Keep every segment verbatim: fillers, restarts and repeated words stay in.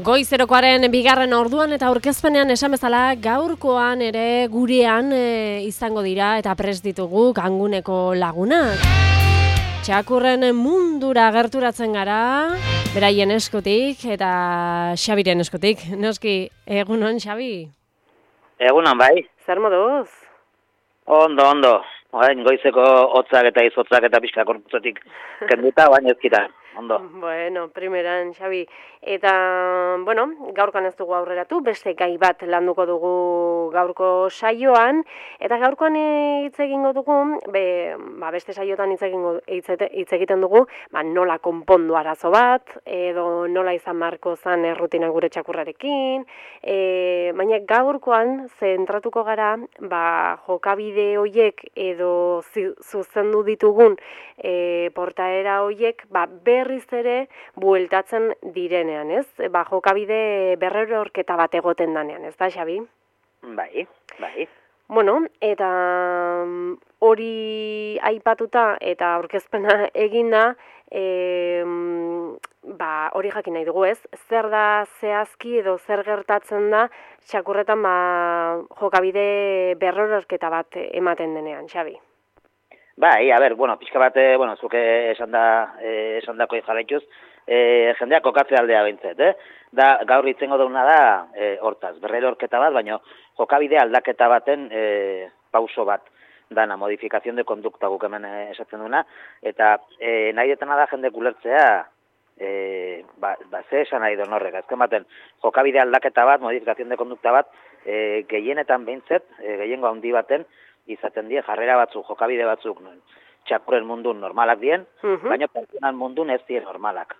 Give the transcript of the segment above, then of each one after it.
Goizerokoaren bigarren orduan eta aurkezpenean esan bezala gaurkoan ere gurean e, izango dira eta prest ditugu Ganguneko lagunak. Txakurren mundura gerturatzen gara, beraien eskutik eta Xabiren eskutik. Noski, egunon, Xabi? Egunon, bai. Zer moduz? Ondo, ondo. Orain goizeko hotzak eta izotzak eta pixka korputzetik kenduta, baina ezkita. Ondo. Bueno, primeran, Xabi. Eta, bueno, gaurkoan ez dugu aurreratu, beste gai bat landuko dugu gaurko saioan, eta gaurkoan hitz egingo dugu, be, ba, beste saiotan hitz egingo hitz egiten dugu, ba, nola konpondu arazo bat, edo nola izan marko zan errutina gure txakurrarekin, e, baina gaurkoan zentratuko gara, ba, jokabide hoiek edo zuzendu ditugun e, portaera hoiek, ba, berriz ere bueltatzen direnean, ez? Ba, jokabide berrerorketa bat egoten danean, ez da, Xabi? Bai, bai. Bueno, eta hori aipatuta eta aurkezpena eginda, e, ba, hori jakin nahi dugu, ez? Zer da zehazki edo zer gertatzen da txakurretan ba, jokabide berrerorketa bat ematen denean, Xabi? Bai, a ber, bueno, pixka bat, bueno, zuke esan da, eh, esan dako jarraituz, eh, jendeak kokatze aldea bintzet, eh? Da, gaur itzengo dauna da, eh, hortaz, berrerorketa bat, baina jokabide aldaketa baten eh, pauso bat, dana, modifikazion de kondukta guk hemen eh, esatzen duna, eta eh, nahi detena da jende ulertzea, eh, ba, ba, ze esan nahi duen horrek, azken baten, jokabide aldaketa bat, modifikazion de kondukta bat, eh, gehienetan behintzet, eh, gehiengo handi baten, izaten die jarrera batzuk, jokabide batzuk txakurren mundun normalak dien, uh-huh. baina pertsonan mundun ez dien normalak.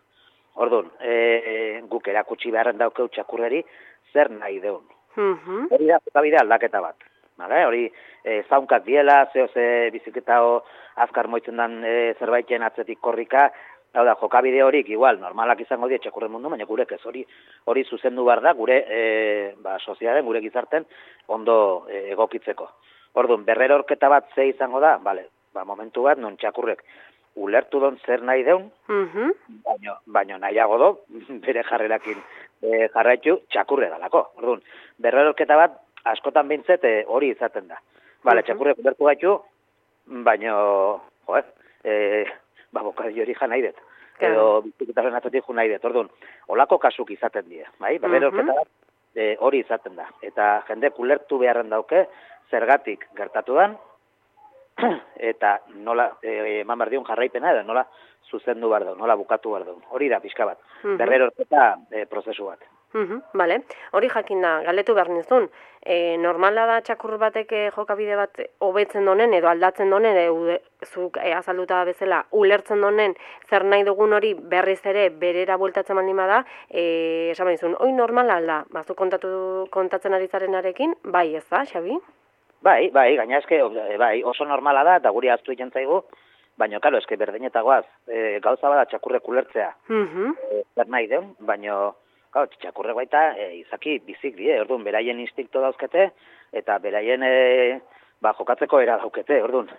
Orduan, e, guk erakutsi beharren daukeu txakurreri zer nahi deun. Uh-huh. Hori da jokabide aldaketa bat. Vale? Hori e, zaunkak diela, zeo ze biziketao azkar moitzen dan e, zerbaiten atzetik korrika, hau da, jokabide horik igual normalak izango die txakurren mundu, baina gurek ez hori hori zuzendu behar da gure e, ba, sozialen, gure gizarten ondo e, egokitzeko. Orduan, berrerorketa bat ze izango da, bale, ba, momentu bat, non txakurrek ulertu don zer nahi deun, uh-huh. baino, baino nahiago do, bere jarrerakin e, jarraitu txakurre dalako. Orduan, berrerorketa bat, askotan bintzet e, hori izaten da. Bale, uh-huh. txakurrek ulertu gaitu, baino, joez, e, ba, bokadi hori jan nahi dut. Edo, biziketaren atzetik jo nahi dut. Orduan, olako kasuk izaten die, bai? Berrerorketa bat, e, hori izaten da. Eta jendek ulertu beharren dauke, zergatik gertatu dan, eta nola e, eman behar diun jarraipena, edo nola zuzendu behar duen, nola bukatu behar duen. Hori da pixka bat, uh-huh. berrerorketa e, prozesu bat. Uh-huh. Vale. Hori jakin da, galdetu behar nizun, e, normala da txakur batek jokabide bat hobetzen donen, edo aldatzen donen, edo zuk e, azalduta bezala ulertzen donen, zer nahi dugun hori berriz ere berera bueltatzen baldin bada, e, esan behizun, hoi normala alda, bazu kontatu, kontatzen ari zarenarekin, bai ez da, Xabi? Bai, bai, gaina eske, bai, oso normala da, eta guri aztu egin zaigu, baina, karo, eske berdinetagoaz, e, gauza bada txakurrek ulertzea, uh-huh. e, zer nahi deun, baina, karo, txakurrek baita, e, izaki bizik die, orduan, beraien instinkto dauzkete, eta beraien, e, ba, jokatzeko era daukete, orduan.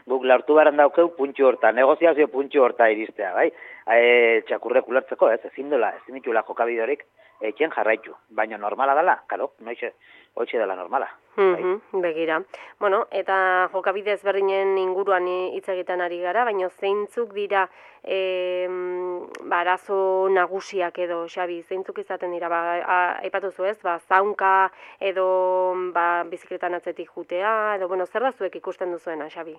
Guk laurtu baren daukeu puntxu horta, negoziazio puntxu horta iristea, bai? E, txakurrek ulertzeko, ez, ezin dola, ezin ditula jokabideorik, etxen jarraitu, baina normala dela, karo, noixe, hoitxe dela normala. Mm-hmm, bai. Begira. Bueno, eta jokabide ezberdinen inguruan hitz egiten ari gara, baina zeintzuk dira e, barazo nagusiak edo, Xabi, zeintzuk izaten dira, ba, aipatu zu ez, ba, zaunka edo ba, bizikletan atzetik jutea, edo, bueno, zer da zuek ikusten duzuena, Xabi?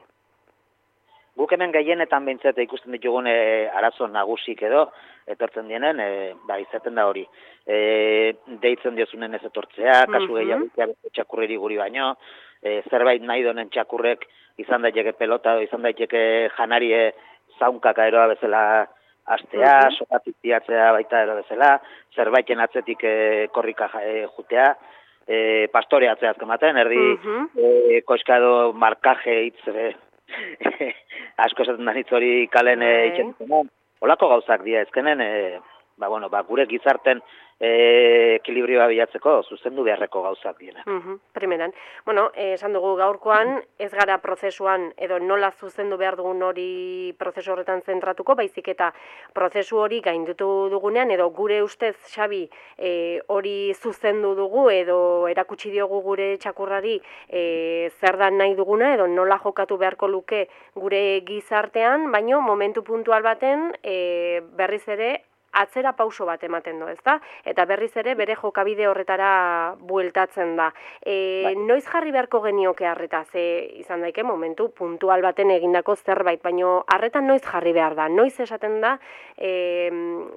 Guk hemen gehienetan behintzete ikusten ditugun e, arazo nagusik edo, etortzen dienen, e, ba, izaten da hori. E, deitzen diozunen ez etortzea, kasu uh-huh. gehiago txakurreri guri baino, e, zerbait nahi donen txakurrek izan daiteke pelota, izan daiteke janarie zaunkaka eroa bezala astea, uh-huh. sokatik tiatzea baita ero bezala, zerbaiten atzetik e, korrika e, jutea, e, pastoreatzea azkematen, erdi uh-huh. e, koskado markaje hitz e, asko esaten da hitz hori kalen e, itxen. Olako gauzak dira, ezkenen, e, ba, bueno, ba, gure gizarten e, ekilibrioa bilatzeko zuzendu beharreko gauzak dira. Mhm, primeran. Bueno, eh, esan dugu gaurkoan, ez gara prozesuan edo nola zuzendu behar dugun hori prozesu horretan zentratuko, baizik eta prozesu hori gaindutu dugunean, edo gure ustez, Xabi, eh, hori zuzendu dugu, edo erakutsi diogu gure txakurrari eh, zer da nahi duguna, edo nola jokatu beharko luke gure gizartean, baino momentu puntual baten eh, berriz ere atzera pauso bat ematen du, ezta? Eta berriz ere bere jokabide horretara bueltatzen da. E, noiz jarri beharko genioke harreta, ze izan daike momentu puntual baten egindako zerbait, baino harretan noiz jarri behar da, noiz esaten da, e,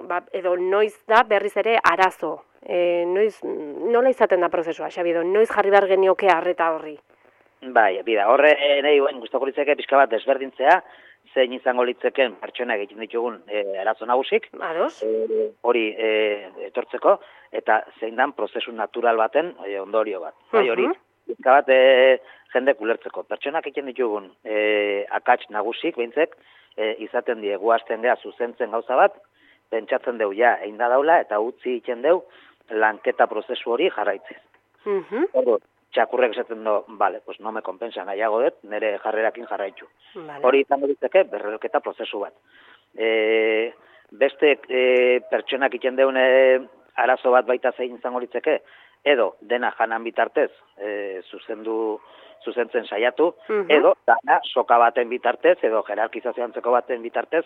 ba, edo noiz da berriz ere arazo. E, noiz, nola izaten da prozesua, Xabi, edo noiz jarri behar genioke harreta horri? Bai, bida, horre nahi guen guztoko litzeke pixka bat desberdintzea, zein izango litzeken pertsona egiten ditugun e, arazo nagusik, e, hori e, etortzeko, eta zein dan prozesu natural baten e, ondorio bat. Bai, hori, pixka bat e, jendek ulertzeko. Pertsonak egiten ditugun e, akats nagusik, behintzek, e, izaten die guazten gea zuzentzen gauza bat, pentsatzen deu ja, egin da daula, eta utzi egiten deu lanketa prozesu hori jarraitzez. Hori, txakurrek esaten do, bale, pues no me compensa nahiago dut, nire jarrerakin jarraitu. Vale. Hori izango ditzeke berreroketa prozesu bat. E, beste e, pertsonak iten deune arazo bat baita zein izango ditzeke, edo dena janan bitartez e, zuzendu, zuzentzen saiatu, uh-huh. edo dana soka baten bitartez, edo jerarkizazio antzeko baten bitartez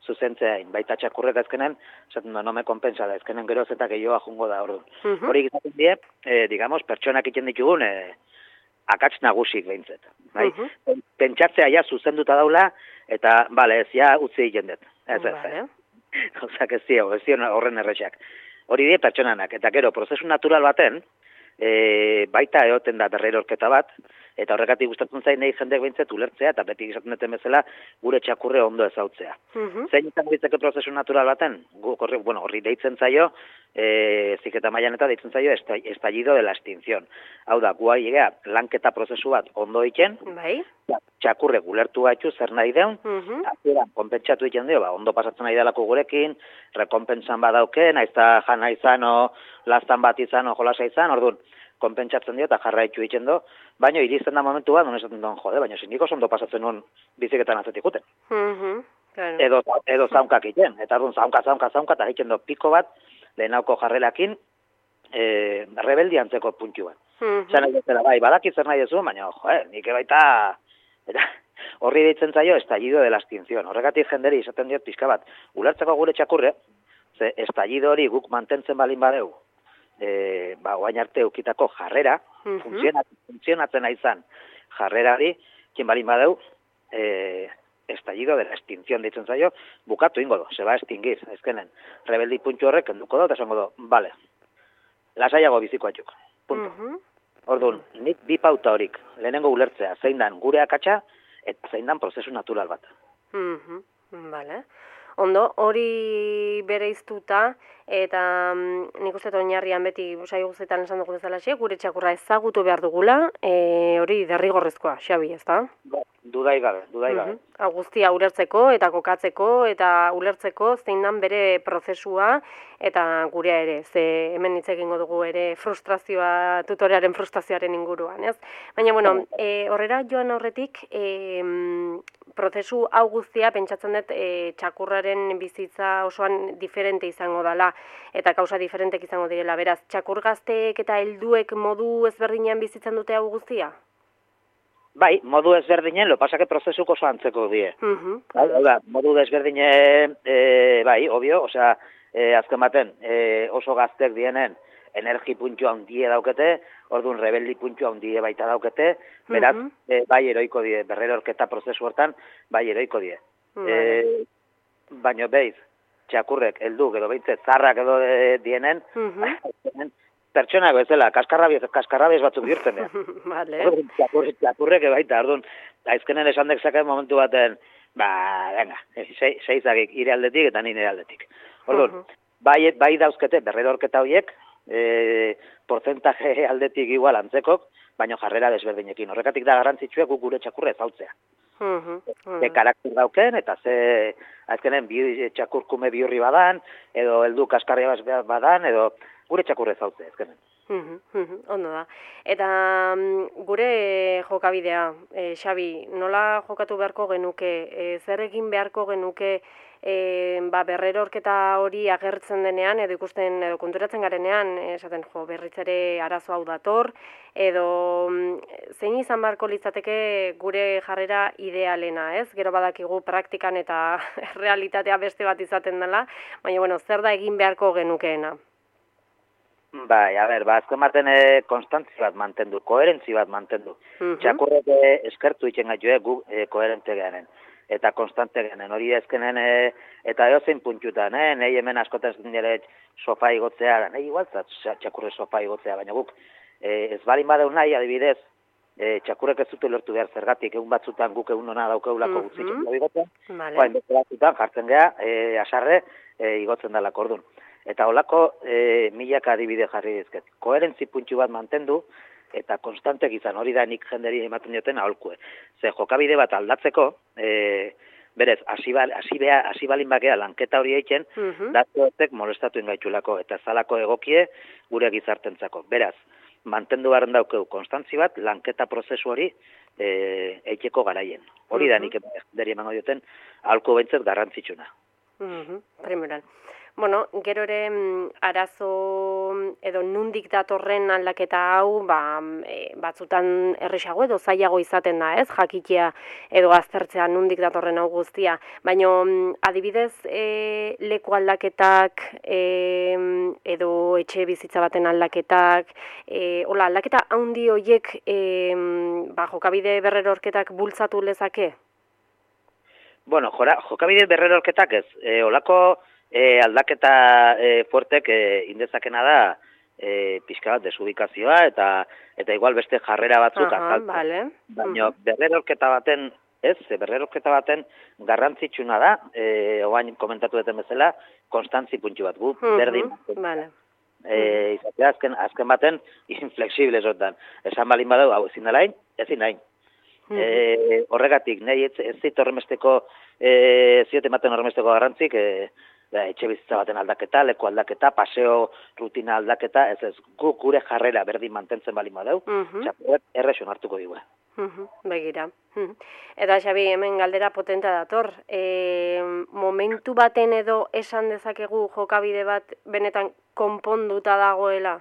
zuzentzeain. Baita txakurrek azkenen, esaten da, no me compensa da, azkenen geroz eta gehiagoa jungo da hori. Uh-huh. Hori gizaten die, e, digamos, pertsonak iten ditugun, e, akats nagusik behintzet. Bai? Uh-huh. Pentsatzea ja zuzenduta daula, eta, bale, ez ja utzi egiten dut. Ez ez, vale. Gauzak ez dio, ez dio horren errexak. Hori die pertsonanak, eta gero, prozesu natural baten, e, baita egoten da berrerorketa bat, eta horregatik gustatzen zain nahi jendek behintzet ulertzea, eta beti izaten duten bezala gure txakurre ondo ezautzea. Uh-huh. Zein izango ditzake prozesu natural baten? Horri, bueno, horri deitzen zaio, e, ziketa mailan eta deitzen zaio estallido de la extinción. Hau da, guai egea, lanketa prozesu bat ondo iken, bai. Txakurre gulertu gaitu zer nahi deun, uh-huh. Azeran, konpentsatu egiten dio, ba, ondo pasatzen nahi delako gurekin, rekompensan badauken, aizta jana izan, o lastan bat izan, o jolasa izan, orduan, konpentsatzen dio eta jarraitu egiten do, baina iristen da momentu bat, non esaten duen, jode, baina zindiko ondo pasatzen nuen biziketan atzetik guten. Uh-huh, claro. Edo, edo zaunkak egiten, eta orduan zaunka, zaunka, zaunka, eta egiten do piko bat, lehenauko jarrelakin, e, rebeldi antzeko puntu bat. Uh-huh. Zan egin zela, bai, badaki zer nahi dezu, baina, jo, eh, nik baita, eta horri deitzen zaio, estallido de la extinción. Horregatik jenderi izaten diot pixka bat, ulertzeko gure txakurre, ze estallido hori guk mantentzen balin badeu, E, ba, oain arte eukitako jarrera, uh-huh. funtzionatzen, funtzionatzen izan jarrera hori, kien balin badeu, e, estallido de la extinción ditzen zaio, bukatu ingo do, se va a extinguir, ezkenen, rebeldi puntu horrek enduko do, eta esango do, bale, lasaiago biziko atxuk, punto. Uh-huh. Orduan, nik bi pauta horik, lehenengo ulertzea, zein dan gure akatsa, eta zein dan prozesu natural bat. Uh-huh. Vale. Ondo, hori bereiztuta, eta mm, nik uste oinarrian beti saio guztietan esan dugu bezala xe, gure txakurra ezagutu behar dugula, e, hori derrigorrezkoa, Xabi, ez da? Dudai gabe, dudai gabe. Uh-huh. Guztia ulertzeko eta kokatzeko eta ulertzeko zein dan bere prozesua eta gurea ere, ze hemen hitz egingo dugu ere frustrazioa, tutorearen frustrazioaren inguruan, ez? Baina, bueno, e, horrera joan horretik, e, prozesu hau guztia pentsatzen dut e, txakurraren bizitza osoan diferente izango dela eta kausa diferentek izango direla. Beraz, txakur gazteek eta helduek modu ezberdinean bizitzen dute hau guztia? Bai, modu ezberdinen, lo pasake prozesuko oso antzeko die. Uh-huh. Bai, modu ezberdine, e, bai, obvio, osea, e, azken baten, e, oso gaztek dienen energi puntu handie daukete, orduan rebeldi puntu handie baita daukete, beraz, uh-huh. e, bai eroiko die, berrerorketa prozesu hortan, bai eroiko die. Uh-huh. E, baina beiz, txakurrek, helduk edo behintzet, zarrak edo e, dienen, uh-huh. pertsonak bezala, kaskarrabiez, kaskarrabiez batzuk bihurtzen dira. Vale. Txakurrek, txakurrek baita, orduan, aizkenen esan dezake momentu baten, ba, venga, seizagik ire aldetik eta nire aldetik. Orduan, uh-huh. bai, bai dauzkete, berrerorketa horiek, e, porcentaje aldetik igual antzekok, baina jarrera desberdinekin. Horrekatik da garrantzitsua guk gure txakurre ezautzea. Mhm. Ze karakter dauken, eta ze azkenen bi, txakurkume bihurri badan, edo heldu kaskarria badan, edo gure txakurre zautze, azkenen. Mhm, mhm, ondo da. Eta mm, gure jokabidea, e, Xabi, nola jokatu beharko genuke, e, zer egin beharko genuke e, ba, berrerorketa hori agertzen denean, edo ikusten, edo konturatzen garenean, esaten jo, berriz ere arazo hau dator, edo mm, zein izan beharko litzateke gure jarrera idealena, ez? Gero badakigu praktikan eta realitatea beste bat izaten dela, baina, bueno, zer da egin beharko genukeena? Bai, a ber, ba, azken baten e, konstantzi bat mantendu, koherentzi bat mantendu. Mhm. Txakurrek e, eskertu itxen gaitu, gu e, koherente genen, eta konstante genen, hori ezkenen, e, eta eozein puntutan, eh? Nei hemen askotan nire sofa igotzea, nahi igual, txakurre sofa igotzea, baina guk, e, ez balin badeu nahi, adibidez, e, txakurrek ez dute lortu behar zergatik, egun batzutan guk egun hona daukeulako Mhm. gutzitzen da igotzen, Vale. Oain, beste batzutan jartzen geha, e, asarre e, igotzen dela kordun. Eta holako e, milaka adibide jarri dizket. Koherentzi puntxu bat mantendu, eta konstantek izan, hori da nik jenderi ematen dioten aholkue. Ze jokabide bat aldatzeko, e, berez, hasi ba, balin bakea lanketa hori eitzen, Mhm. datuetek molestatu ingaitxulako, eta zalako egokie gure gizartentzako. Beraz, mantendu behar daukeu konstantzi bat, lanketa prozesu hori e, eiteko garaien. Hori da Mhm. nik jenderi emango dioten aholku behintzat garrantzitsuna. Mhm, primeran. Bueno, gero ere mm, arazo edo nundik datorren aldaketa hau, ba, e, batzutan erresago edo zailago izaten da, ez? Jakitea edo aztertzea nundik datorren hau guztia. Baina mm, adibidez e, leku aldaketak e, edo etxe bizitza baten aldaketak, e, hola, aldaketa handi horiek e, ba, jokabide berrerorketak bultzatu lezake? Bueno, jora, jokabide berrerorketak ez. E, olako e, aldaketa e, fuertek e, indezakena da e, pixka bat desubikazioa eta eta igual beste jarrera batzuk Aha, azaltzen. vale. Baina berrerorketa baten, ez, berrerorketa baten garrantzitsuna da, e, oain komentatu duten bezala, konstantzi puntxu bat gu, Mhm, berdin. vale. E, izatea azken, azken baten inflexible esotan. Esan balin badau, hau ezin delain, ezin nahin. E, horregatik, nahi ez, ez zit horremesteko, e, ziote ematen horremesteko garrantzik, e, da, etxe bizitza baten aldaketa, leku aldaketa, paseo rutina aldaketa, ez ez, gu gure jarrera berdin mantentzen balin badau, Mhm. txapuet erreson hartuko digu. Mhm, begira. Mhm. Eta Xabi, hemen galdera potenta dator. E, momentu baten edo esan dezakegu jokabide bat benetan konponduta dagoela?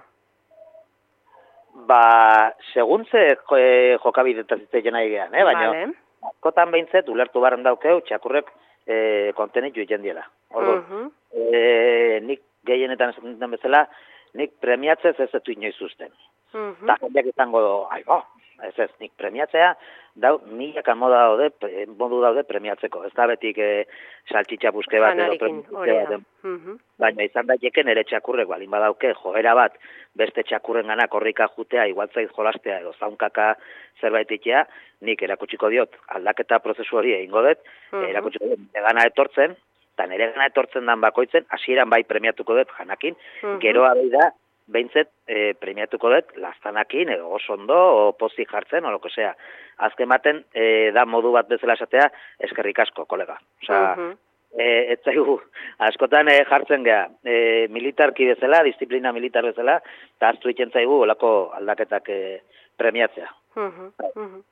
Ba, segun ze e, jokabidetaz itzeiten nahi gehan, eh? baina Vale. askotan behintzet, ulertu barren daukeu, txakurrek e, kontenitu egiten diela. Orduan, Mhm. e, nik gehienetan esaten duten bezala, nik premiatzez ez etu inoiz uzten. Mhm. Eta jendeak izango, aigo, ez ez, nik premiatzea, dau, milaka moda daude, pre- modu daude premiatzeko. Ez da betik e, saltxitxa buske bat edo Janarikin, premiatzea hori da. baten. Mhm. Baina izan daiteke nire txakurrek balin badauke joera bat beste txakurren gana korrika jutea, igualtzaiz jolastea edo zaunkaka zerbait itea, nik erakutsiko diot aldaketa prozesu hori egingo dut, Mhm. erakutsiko diot nire gana etortzen, eta nire gana etortzen dan bakoitzen, hasieran bai premiatuko dut janakin, Mhm. geroa behi da, behintzet e, premiatuko dut lastanakin, edo oso ondo, o pozik jartzen, o loko sea. Azken baten, e, da modu bat bezala esatea, eskerrik asko, kolega. Osea, Mhm. E, ez zaigu, askotan e, jartzen geha, e, militarki bezala, disiplina militar bezala, eta aztu egiten zaigu olako aldaketak e, premiatzea. Mhm, mhm.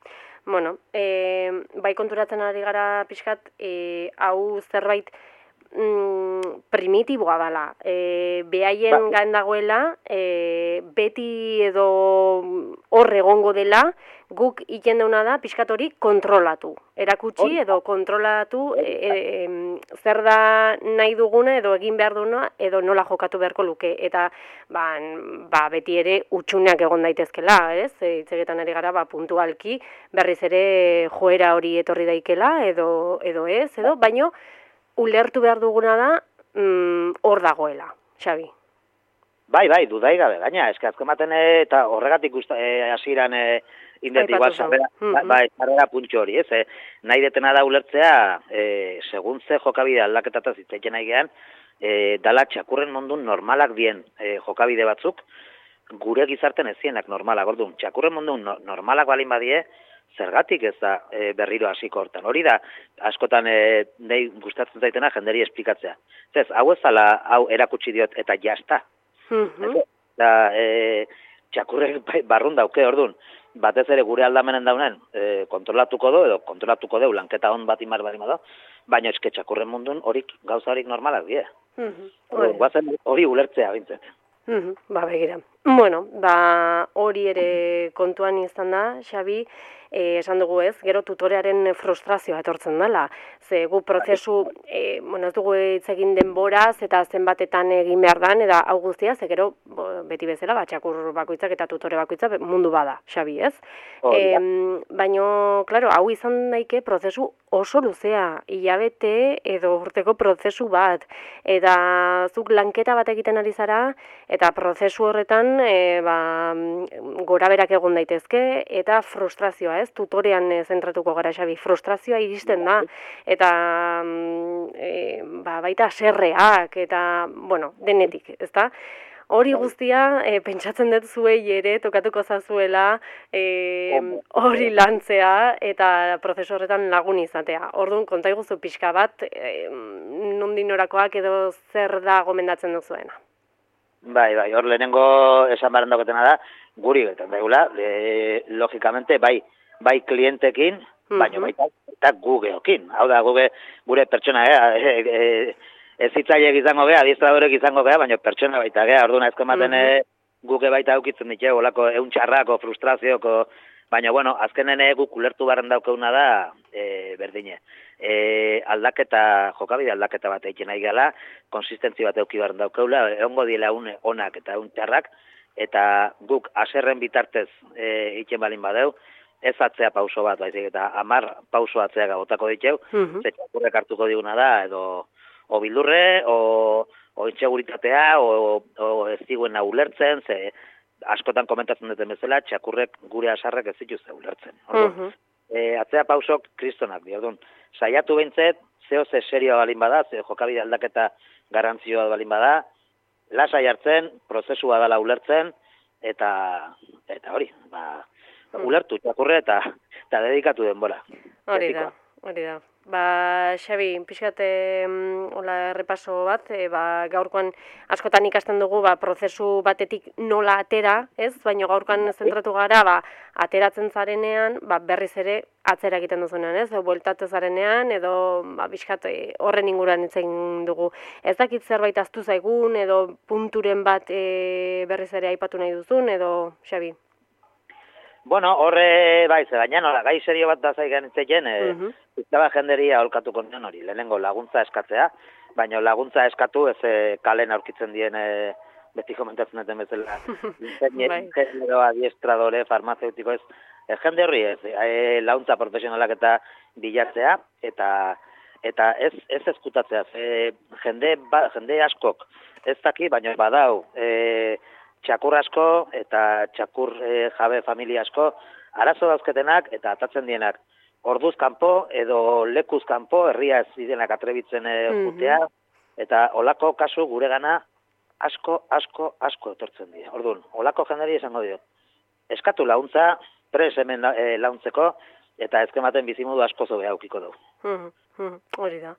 Bueno, e, bai konturatzen ari gara pixkat, e, hau zerbait mm, primitiboa dela. E, behaien Ba. gain dagoela, e, beti edo hor egongo dela, guk iten deuna da pixkat hori kontrolatu. Erakutsi Hori. edo kontrolatu e, e, em, zer da nahi duguna edo egin behar duguna edo nola jokatu beharko luke. Eta ba, ba, beti ere utxuneak egon daitezkela, ez? E, hitzegetan ari gara ba, puntualki berriz ere joera hori etorri daikela edo, edo ez, edo, baino ulertu behar duguna da mm, hor dagoela, Xabi. Bai, bai, dudai gabe, gaina, eske azken baten e, eta horregatik usta, e, hasieran e, indet Aipatu igual zau. sarrera, Mhm. bai, sarrera puntxo hori, ez? E, nahi detena da ulertzea, e, segun ze jokabide aldaketataz hitzaiten nahi gehan, e, dala txakurren mondun normalak dien e, jokabide batzuk, gure gizarten ezienak normalak, orduan, txakurren mondun no, normalak balin badie, zergatik ez da e, berriro hasiko hortan. Hori da, askotan e, nahi gustatzen zaitena jenderi esplikatzea. Zez, hau ez ala, hau erakutsi diot eta jazta. Mhm. Da, e, txakurrek barrun dauke ordun. Batez ere gure aldamenen daunen e, kontrolatuko du, edo kontrolatuko du, lanketa hon bat imar barima da, baina eske txakurren mundun horik, gauza horik normalak die. Mhm. Guazen hori ulertzea bintzet. Mhm. Ba, begira. Bueno, ba, hori ere kontuan izan da, Xabi, eh, esan dugu ez, gero tutorearen frustrazioa etortzen dela. Ze gu prozesu, eh, bueno, ez dugu hitz egin denboraz eta zenbatetan egin behar dan, eta hau guztia, ze gero, bo, beti bezala, ba, txakur bakoitzak eta tutore bakoitza mundu bada, Xabi, ez? E, baino, klaro, hau izan daike prozesu oso luzea, hilabete edo urteko prozesu bat, eta zuk lanketa bat egiten ari zara, eta prozesu horretan e, ba, gora berak egon daitezke, eta frustrazioa, ez? Tutorean e, zentratuko gara, Xabi, frustrazioa iristen da, eta e, ba, baita serreak, eta, bueno, denetik, ezta? Hori guztia, e, pentsatzen dut zuei ere, tokatuko zazuela, e, hori lantzea eta prozesu horretan lagun izatea. Orduan, konta iguzu pixka bat, e, nondinorakoak edo zer da gomendatzen duzuena. Bai, bai, hor lehenengo esan baren dauketena da, guri betan daigula, e, logikamente, bai, bai klientekin, baina baita, eta gu geokin. Hau da, guge, gure pertsona, e, e, ez hitzaiek izango gea, adiestradorek izango gea, baina pertsona baita gea, orduan ezko ematen mm -hmm. guke baita aukitzen ditu, olako eun txarrako, frustrazioko, baina, bueno, azkenen guk ulertu barren daukeuna da, e, berdine. E, aldaketa, jokabide aldaketa bat egiten nahi gala, konsistentzi bat euki barren daukeula, egongo diela une onak eta eun txarrak, eta guk aserren bitartez e, egiten balin badeu, ez atzea pauso bat, baizik, eta amar pauso atzea gabotako diteu, mm -hmm. zetxakurrek hartuko diguna da, edo o bildurre, o, o intxeguritatea, o, o ez diguena ulertzen, ze askotan komentatzen duten bezala, txakurrek gure asarrek ez dituzte ulertzen. Orduan, uh -huh. e, atzea pausok kristonak, di, orduan, saiatu behintzet, zeo ze serioa balin bada, ze jokabide aldaketa garantzioa balin bada, lasai hartzen, prozesua dela ulertzen, eta eta hori, ba, uh -huh. ulertu txakurre eta, eta dedikatu denbora. Hori da, hori da. Ba, Xabi, pixkate hola errepaso bat, e, ba, gaurkoan askotan ikasten dugu ba, prozesu batetik nola atera, ez? Baina gaurkoan zentratu gara, ba, ateratzen zarenean, ba, berriz ere atzera egiten duzunean, ez? Edo bueltatu zarenean, edo ba, pixkat horren inguruan hitz egin dugu. Ez dakit zerbait ahaztu zaigun, edo punturen bat e, berriz ere aipatu nahi duzun, edo, Xabi? Bueno, horre, bai, ze baina nola, gai serio bat da zaigan itzeken, e, uh -huh. Ziztaba jenderia aholkatuko nion hori, lehenengo laguntza eskatzea, baina laguntza eskatu ez e, kalen aurkitzen dien, e, beti komentatzen duten bezala, ingeniero, adiestradore, farmazeutiko ez, e, jende horri ez, e, laguntza profesionalak eta bilatzea, eta eta ez ez ezkutatzea, e, jende, ba, jende askok ez daki, baina badau, e, txakur asko eta txakur e, jabe familia asko, arazo dauzketenak eta atatzen dienak. Orduz kanpo edo lekuz kanpo herria ez zidenak atrebitzen e, jutea, mm -hmm. eta olako kasu gure gana asko, asko, asko etortzen dira. Orduan, olako jenderi esango dio. Eskatu launtza, pres hemen e, launtzeko, eta ezkematen bizimodu asko zobe aukiko dugu. Mm -hmm. Hori da.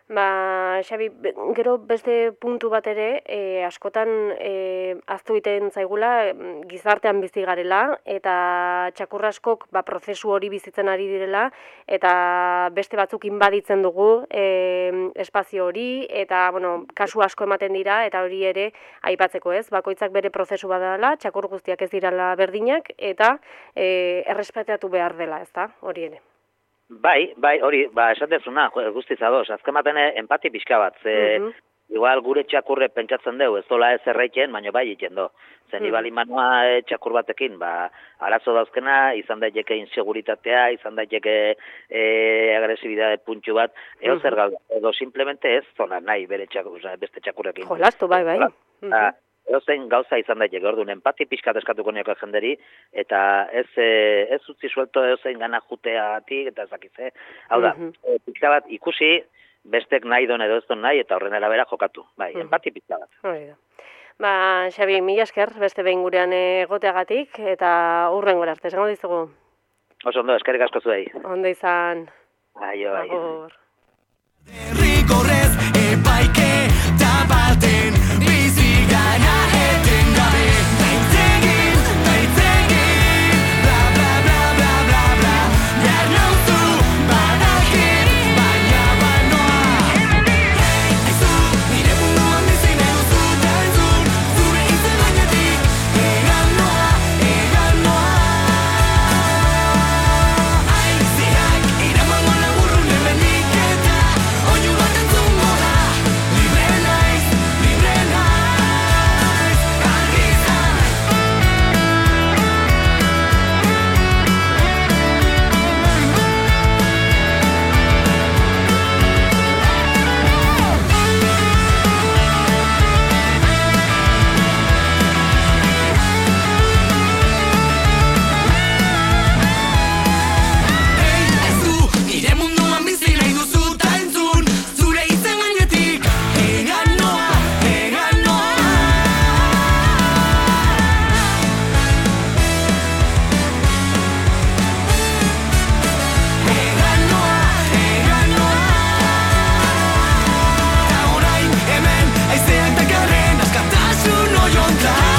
Ba, Xabi, gero beste puntu bat ere, e, askotan e, aztu egiten zaigula gizartean bizi garela, eta txakurraskok ba, prozesu hori bizitzen ari direla, eta beste batzuk inbaditzen dugu e, espazio hori, eta bueno, kasu asko ematen dira, eta hori ere aipatzeko ez, bakoitzak bere prozesu badala, txakur guztiak ez dirala berdinak, eta e, errespetatu behar dela, ez da, hori ere. Bai, bai, hori, ba, esan dezuna, guztiz ados, azken baten empati pixka bat, ze, uh -huh. igual gure txakurre pentsatzen dugu, ez dola ez erraiten, baina bai egiten do. Zen, uh -huh. ibali manua e, txakur batekin, ba, arazo dauzkena, izan daiteke inseguritatea, izan daiteke e, agresibidade puntxu bat, eo uh -huh. zer gauda, edo simplemente ez zona nahi bere txakur, beste txakurrekin. Jolastu, bai, bai. Uh -huh. Edozein gauza izan daiteke, orduan, empati pixkat eskatuko nioko jenderi, eta ez, e, ez utzi suelto edozein gana juteagatik, eta ezakitze. Hau da, mm -hmm. pixka bat ikusi, bestek nahi don edo ez don nahi, eta horren arabera jokatu. Bai, mm -hmm. empati pixka bat. Hori da. Ba, Xabi, mila esker, beste behin gurean egoteagatik, eta hurren gora arte, esango dizugu. Oso ondo, eskerrik asko zuei. Ondo izan. Aio, aio. Agur. Derrigorrez epaike tabaten bizi gara etengabe. Baitzegin, baitzegin, bla bla bla bla bla bla. Behar nauzu badakit, baina banoa. Aizu, nire munduan bizi nahi duzu ta entzun, zure izen gainetik, egan noa, egan noa. Aiziak iramango laburrun hemendik eta oinu bat entzungo da. Libre naiz, libre naiz, argi izan. Hey, aizu, nire munduan bizi nahi duzu ta entzun, zure izen gainetik, egan noa, egan noa. Egan noa, egan noa. Ta orain hemen haizeak dakarren askatasun oiontan.